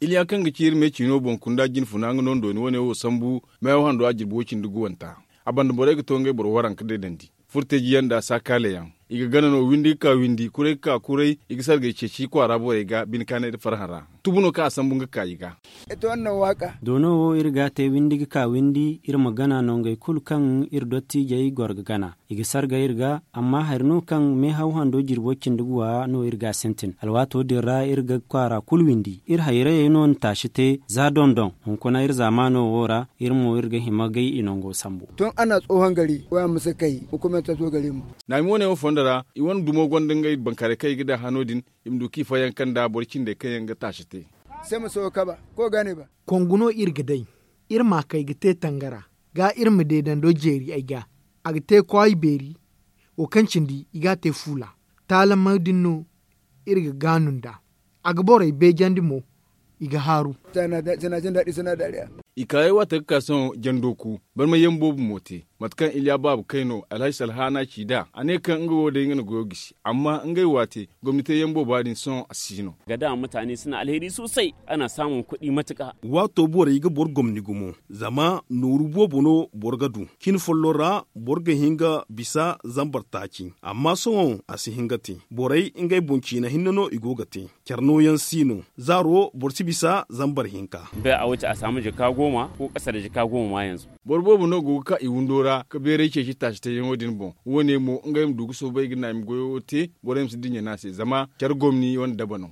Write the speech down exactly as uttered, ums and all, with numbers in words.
Iliya kaŋ ga ci iri me ciino boŋ kunda jine funa nga no nda dooni wane wo sambu. Meehaw hando a jirbi wo cindi guwanta. A banda borey ga to ngey boro waranka deedandi. Furteeji yaŋ nda saakaale yaŋ. I ga gana no windi ga ka windi kuray ga ka kuray. I ga sargay ceeci kwaara borey ga bine kaanay nda farhã ra. Tubu no kaŋ a sambu nga ga ka i ga. Doono wo iri ga a te windi ga ka windi iri ma gana nongey kulu kaŋ iri dottiijey goro ga gana. I ga sarga iri ga. Amma hari no kaŋ meehaw hando jirbo cindi guwa no iri ga a sintin alwaato din ra iri ga kwaara kulu windi iri hayrayey no na taasi te. Za dondon hunkuna iri zaamaano wo ra iri mo iri ga hima gay i nango sambu. Tun a na tsohon gari waya ma si kay hukumanta to gari mo. Naami wane wo fondo ra i wane dumo gonda ngey bankaaray kaŋ i ga daŋ hano din. I ma du kaŋ i fayyaŋ kaŋ nda boro cindey kaŋ yaŋ ga taasi te. Kongu no iri ga day. Iri ma kay ga te tangara ga iri ma deedando jeeri ay ga. A ga te kwaayi beeri wo kaŋ cindi i ga a te fuula. Taalamey din no iri ga gaanu nd'a. A ga borey beejandi mo. I ga haaru. I kaayey waate ga ka sohõ jandooku barmayyaŋ boobo mo te. Mate kaŋ iliya baaba kay no alhaji salhaana ci nd'a a ne kaŋ nga wo day nga na goyo gisi amma ngey waate gomni teeyaŋ booba din sohõ a si no. Ga da mutaane suna alheri soosay. Ana saamun kuɗi matuka. Waato borey ga boro gomni gumo zama nooru boobo no boro ga du. Cin folloŋ ra boro ga hin ga bisa zambar taaci. Amma sohõ a si hin ga te. Borey ngey boŋ ciina hinne no i go ga te. Care nooyaŋ si no zaaro boro si bisa zambar hinka. Bay a wo ti a saamu jaka gooma ko kasa nda jaka gooma ma yanzu. Boro boobo no go ga ka i windo ra ga beeray ceeci taasi teeyaŋo din boŋ. Wo- ne mo ngey ma du ga soobay ga naami goyo wo te. Borey ma si dinya no a se zama care gomni wane daba no.